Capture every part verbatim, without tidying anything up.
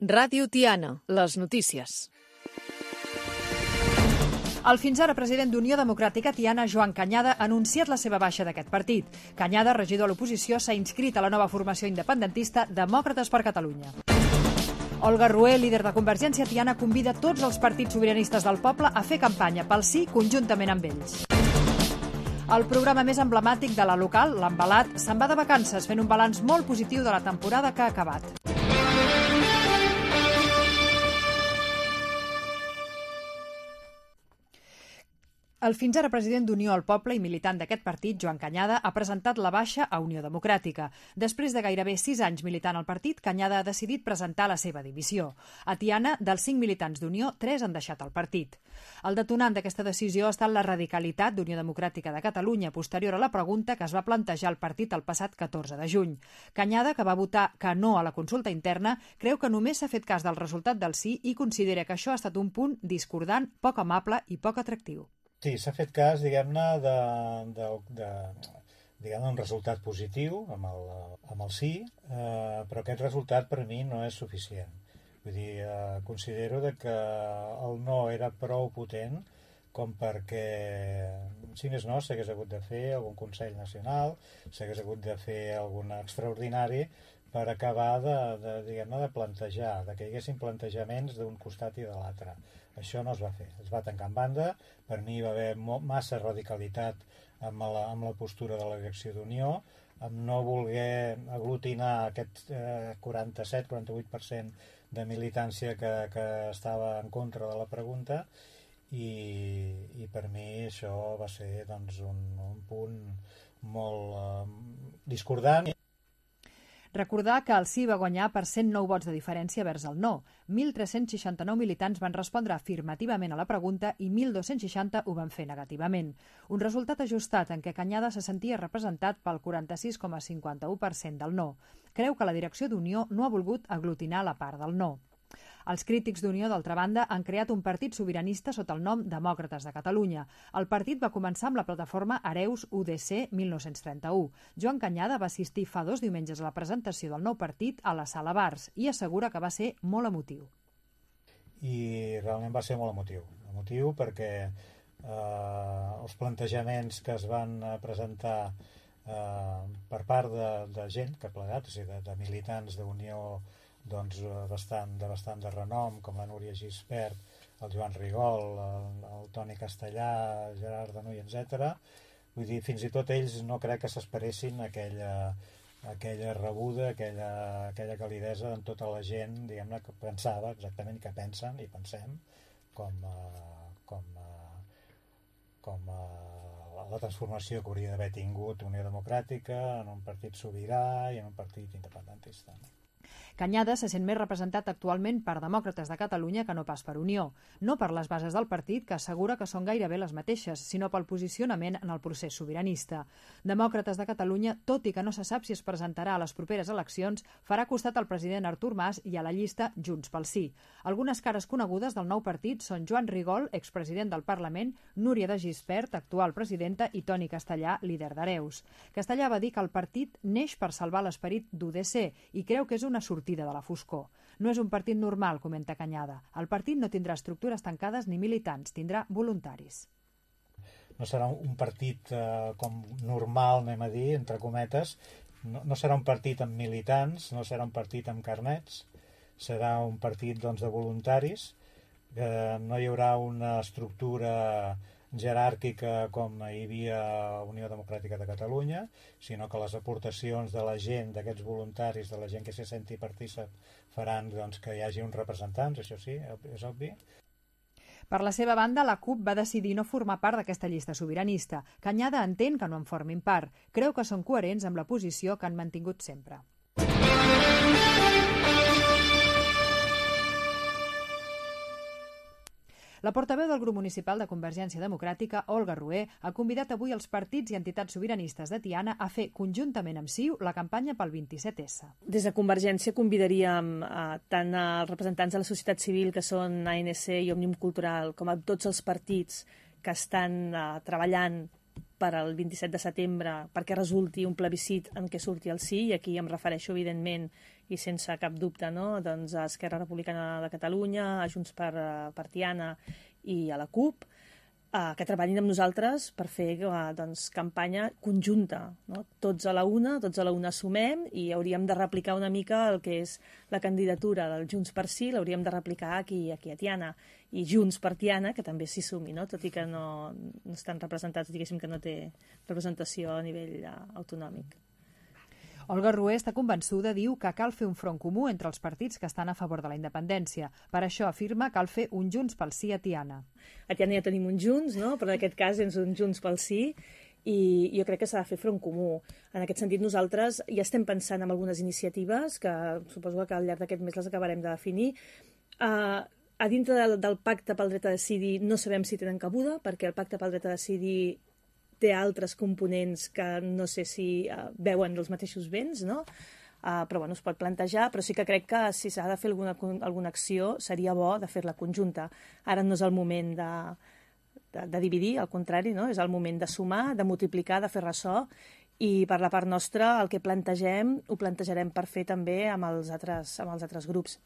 Ràdio Tiana, les notícies. El fins ara president d'Unió Democràtica Tiana, Joan Cañada, ha anunciat la seva baixa d'aquest partit. Cañada, regidor a l'oposició, s'ha inscrit a la nova formació independentista Demòcrates per Catalunya. Olga Rué, líder de Convergència Tiana, convida tots els partits sobiranistes del poble a fer campanya pel sí conjuntament amb ells. El programa més emblemàtic de la local, l'Embalat, se'n va de vacances fent un balanç molt positiu de la temporada que ha acabat. El fins ara president d'Unió al Poble i militant d'aquest partit, Joan Cañada, ha presentat la baixa a Unió Democràtica. Després de gairebé sis anys militant al partit, Cañada ha decidit presentar la seva dimissió. A Tiana, dels cinc militants d'Unió, tres han deixat el partit. El detonant d'aquesta decisió ha estat la radicalitat d'Unió Democràtica de Catalunya, posterior a la pregunta que es va plantejar al partit el passat catorze de juny. Cañada, que va votar que no a la consulta interna, creu que només s'ha fet cas del resultat del sí i considera que això ha estat un punt discordant, poc amable i poc atractiu. Sí, s'ha fet cas, diguem-ne, de, de, de, diguem-ne, un resultat positiu amb el, amb el sí, eh, però aquest resultat per mi no és suficient. Vull dir, eh, considero de que el no era prou potent com perquè, si més no, s'hagués hagut de fer algun Consell Nacional, s'hagués hagut de fer algun extraordinari per acabar de, de, diguem-ne, de plantejar, de que hi haguessin plantejaments d'un costat i de l'altre. Això no es va fer, es va tancar en banda. Per mi va haver massa radicalitat amb la, amb la postura de la direcció d'Unió, amb no voler aglutinar aquest eh, quaranta-set quaranta-vuit per cent de militància que, que estava en contra de la pregunta, i, i per mi això va ser doncs, un, un punt molt eh, discordant. Recordar que el sí va guanyar per cent nou vots de diferència vers el no. mil tres-cents seixanta-nou militants van respondre afirmativament a la pregunta i mil dos-cents seixanta ho van fer negativament. Un resultat ajustat en què Cañada se sentia representat pel quaranta-sis coma cinquanta-u per cent del no. Creu que la direcció d'Unió no ha volgut aglutinar la part del no. Els crítics d'Unió, d'altra banda, han creat un partit sobiranista sota el nom Demòcrates de Catalunya. El partit va començar amb la plataforma Hereus U D C mil nou-cents trenta-u. Joan Cañada va assistir fa dos diumenges a la presentació del nou partit a la Sala Bars i assegura que va ser molt emotiu. I realment va ser molt emotiu. Emotiu perquè eh, els plantejaments que es van presentar eh, per part de, de gent que ha plegat, o sigui, de, de militants d'Unió, doncs bastant, de bastant de renom, com la Núria Gispert, el Joan Rigol, el, el Toni Castellà, Gerard Danuy, etcètera. Vull dir, fins i tot ells no crec que s'esperessin aquella, aquella rebuda, aquella, aquella calidesa en tota la gent, diguem-ne, que pensava exactament que pensen i pensem com, com, com la transformació que hauria d'haver tingut Unió Democràtica en un partit sobirà i en un partit independentista. Cañada se sent més representat actualment per Demòcrates de Catalunya que no pas per Unió. No per les bases del partit, que assegura que són gairebé les mateixes, sinó pel posicionament en el procés sobiranista. Demòcrates de Catalunya, tot i que no se sap si es presentarà a les properes eleccions, farà costat al president Artur Mas i a la llista Junts pel Sí. Algunes cares conegudes del nou partit són Joan Rigol, expresident del Parlament, Núria de Gispert, actual presidenta, i Toni Castellà, líder d'Hereus. Castellà va dir que el partit neix per salvar l'esperit d'U D C i creu que és una sortida de la foscor. No és un partit normal, comenta Cañada. El partit no tindrà estructures tancades ni militants, tindrà voluntaris. No serà un partit eh, com normal, anem a dir, entre cometes. No, no serà un partit amb militants, no serà un partit amb carnets, serà un partit doncs, de voluntaris. Eh, no hi haurà una estructura jeràrquica com hi havia a Unió Democràtica de Catalunya, sinó que les aportacions de la gent, d'aquests voluntaris, de la gent que se senti partícip, faran doncs, que hi hagi uns representants, això sí, és obvi. Per la seva banda, la CUP va decidir no formar part d'aquesta llista sobiranista. Cañada entén que no en formin part. Creu que són coherents amb la posició que han mantingut sempre. La portaveu del grup municipal de Convergència Democràtica, Olga Rué, ha convidat avui els partits i entitats sobiranistes de Tiana a fer conjuntament amb C I U la campanya pel vint-i-set essa. Des de Convergència convidaríem a, tant als representants de la societat civil, que són A N C i Òmnium Cultural, com a tots els partits que estan uh, treballant per al vint-i-set de setembre perquè resulti un plebiscit en què surti el sí, i aquí em refereixo evidentment i sense cap dubte, no? Doncs a Esquerra Republicana de Catalunya, a Junts per, per Tiana i a la CUP, eh, que treballin amb nosaltres per fer eh, doncs, campanya conjunta, no? Tots a la una, tots a la una sumem i hauríem de replicar una mica el que és la candidatura del Junts per Sí, l'hauríem de replicar aquí, aquí a Tiana, i Junts per Tiana, que també s'hi sumi, no? Tot i que no, no estan representats, diguéssim que no té representació a nivell uh, autonòmic. Olga Rué està convençuda, diu, que cal fer un front comú entre els partits que estan a favor de la independència. Per això afirma que cal fer un Junts pel Sí a Tiana. A Tiana ja tenim un Junts, no? Però en aquest cas és un Junts pel Sí, i jo crec que s'ha de fer front comú. En aquest sentit, nosaltres ja estem pensant en algunes iniciatives que suposo que al llarg d'aquest mes les acabarem de definir. Uh, a dintre del, del pacte pel dret a decidir no sabem si tenen cabuda, perquè el pacte pel dret a decidir té altres components que no sé si uh, veuen els mateixos béns, no? Uh, però bueno, es pot plantejar, però sí que crec que si s'ha de fer alguna, alguna acció seria bo de fer-la conjunta. Ara no és el moment de, de, de dividir, al contrari, no? És el moment de sumar, de multiplicar, de fer ressò, i per la part nostra el que plantegem ho plantejarem per fer també amb els altres, amb els altres grups.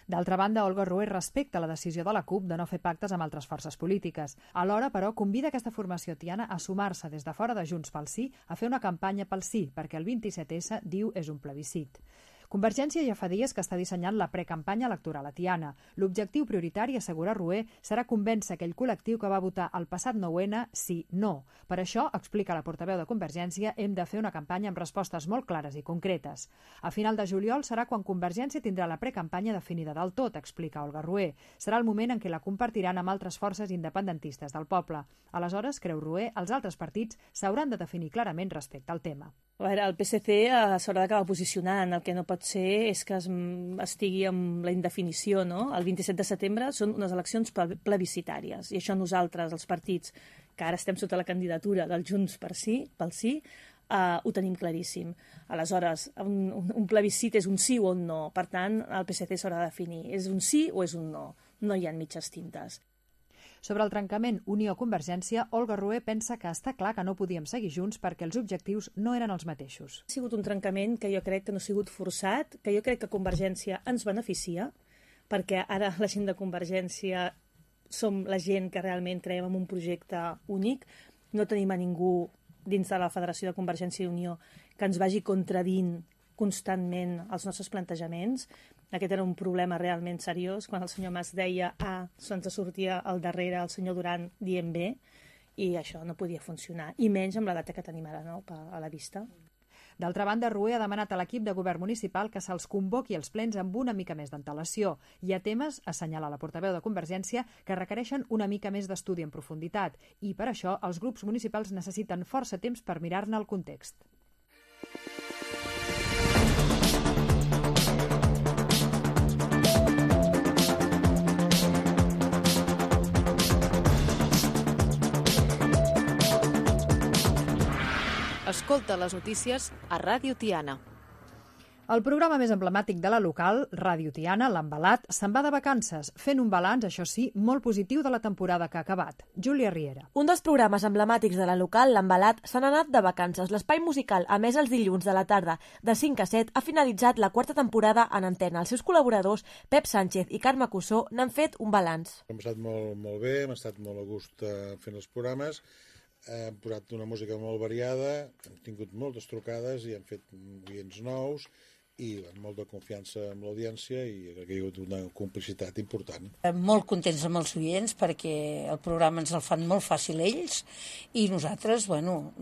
D'altra banda, Olga Rué respecta la decisió de la CUP de no fer pactes amb altres forces polítiques. Alhora, però, convida aquesta formació tiana a sumar-se des de fora de Junts pel Sí a fer una campanya pel sí, perquè el vint-i-set essa, diu, és un plebiscit. Convergència ja fa dies que està dissenyant la precampanya electoral a Tiana. L'objectiu prioritari, assegura Rué, serà convèncer aquell col·lectiu que va votar el passat nou ene sí, no. Per això, explica la portaveu de Convergència, hem de fer una campanya amb respostes molt clares i concretes. A final de juliol serà quan Convergència tindrà la precampanya definida del tot, explica Olga Rué. Serà el moment en què la compartiran amb altres forces independentistes del poble. Aleshores, creu Rué, els altres partits s'hauran de definir clarament respecte al tema. A veure, el P S C eh, s'haurà d'acabar posicionant. El que no pot ser és que es, estigui amb la indefinició, no? El vint-i-set de setembre són unes eleccions plebiscitàries i això nosaltres, els partits, que ara estem sota la candidatura del Junts per Sí, pel Sí, eh, ho tenim claríssim. Aleshores, un, un, un plebiscit és un sí o un no. Per tant, el P S C s'haurà de definir. És un sí o és un no? No hi ha mitges tintes. Sobre el trencament Unió-Convergència, Olga Rué pensa que està clar que no podíem seguir junts perquè els objectius no eren els mateixos. Ha sigut un trencament que jo crec que no ha sigut forçat, que jo crec que Convergència ens beneficia, perquè ara la gent de Convergència som la gent que realment creiem en un projecte únic. No tenim a ningú dins de la Federació de Convergència i Unió que ens vagi contradint constantment els nostres plantejaments. Aquest era un problema realment seriós. Quan el senyor Mas deia A, se'ns sortia al darrere el senyor Duran dient B, i això no podia funcionar, i menys amb la data que tenim ara, no?, a la vista. D'altra banda, Rué ha demanat a l'equip de govern municipal que se'ls convoqui els plens amb una mica més d'antelació. Hi ha temes, assenyala la portaveu de Convergència, que requereixen una mica més d'estudi en profunditat, i per això els grups municipals necessiten força temps per mirar-ne el context. Escolta les notícies a Ràdio Tiana. El programa més emblemàtic de la local, Ràdio Tiana, l'Embalat, se'n va de vacances, fent un balanç, això sí, molt positiu de la temporada que ha acabat. Júlia Riera. Un dels programes emblemàtics de la local, l'Embalat, se n'ha anat de vacances. L'espai musical, a més els dilluns de la tarda, de cinc a set, ha finalitzat la quarta temporada en antena. Els seus col·laboradors, Pep Sánchez i Carme Cussó, n'han fet un balanç. Hem estat molt, molt bé, hem estat molt a gust fent els programes. Hem posat una música molt variada, hem tingut moltes trucades i hem fet oients nous i amb molta confiança amb l'audiència i crec que hi ha hagut una complicitat important. Molt contents amb els oients perquè el programa ens el fan molt fàcil ells i nosaltres, bueno,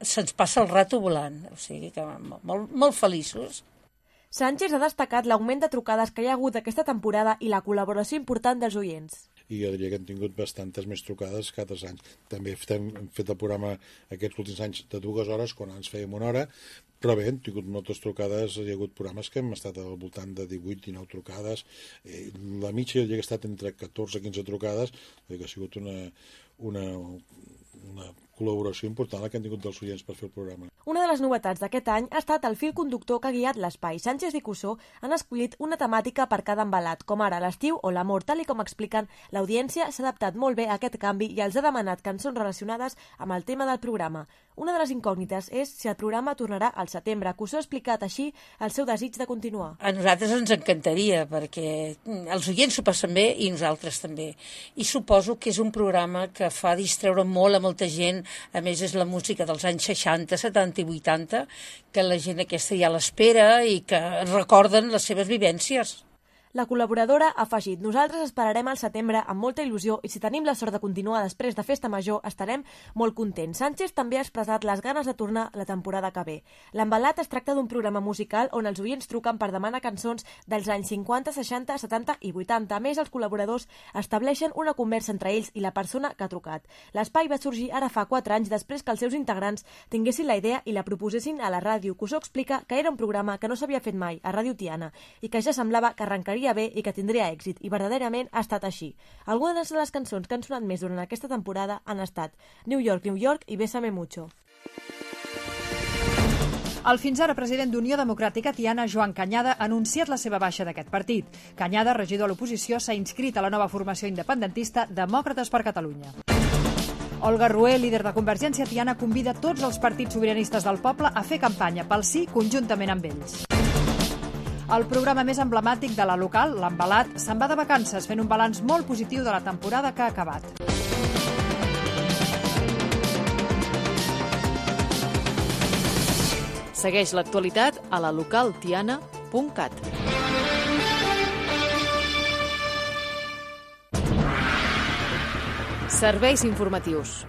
se'ns passa el rato volant, o sigui que molt, molt feliços. Sánchez ha destacat l'augment de trucades que hi ha hagut aquesta temporada i la col·laboració important dels oients. I jo diria que hem tingut bastantes més trucades que altres anys. També hem fet el programa aquests últims anys de dues hores, quan ens fèiem una hora, però bé, hem tingut moltes trucades, hi ha hagut programes que hem estat al voltant de divuit dinou trucades, la mitja jo diria que ha estat entre catorze i quinze trucades, que ha sigut una, una, una col·laboració important la que han tingut dels oients per fer el programa. Una de les novetats d'aquest any ha estat el fil conductor que ha guiat l'espai. Sánchez i Cussó han escollit una temàtica per cada embalat, com ara l'estiu o l'amor. Tal i com expliquen, l'audiència s'ha adaptat molt bé a aquest canvi i els ha demanat cançons relacionades amb el tema del programa. Una de les incògnites és si el programa tornarà al setembre. Cussó ha explicat així el seu desig de continuar. A nosaltres ens encantaria, perquè els oients s'ho passen bé i nosaltres també. I suposo que és un programa que fa distreure molt a molta gent. A més, és la música dels anys seixanta, setanta i vuitanta, que la gent aquesta ja l'espera i que recorden les seves vivències. La col·laboradora ha afegit: nosaltres esperarem al setembre amb molta il·lusió i si tenim la sort de continuar després de Festa Major estarem molt contents. Sánchez també ha expressat les ganes de tornar la temporada que ve. L'Embalat es tracta d'un programa musical on els oients truquen per demanar cançons dels anys cinquanta, seixanta, setanta i vuitanta. A més, els col·laboradors estableixen una conversa entre ells i la persona que ha trucat. L'espai va sorgir ara fa quatre anys després que els seus integrants tinguessin la idea i la proposessin a la ràdio. Cussó explica que era un programa que no s'havia fet mai a Ràdio Tiana i que ja semblava que arrencaria bé i que tindria èxit, i verdaderament ha estat així. Algunes de les cançons que han sonat més durant aquesta temporada han estat New York, New York i Bésame Mucho. El fins ara president d'Unió Democràtica Tiana, Joan Cañada, ha anunciat la seva baixa d'aquest partit. Cañada, regidor a l'oposició, s'ha inscrit a la nova formació independentista Demòcrates per Catalunya. Olga Rué, líder de Convergència Tiana, convida tots els partits sobiranistes del poble a fer campanya pel sí conjuntament amb ells. El programa més emblemàtic de la local, l'Embalat, se'n va de vacances fent un balanç molt positiu de la temporada que ha acabat. Segueix l'actualitat a la local tiana punt cat. Serveis informatius.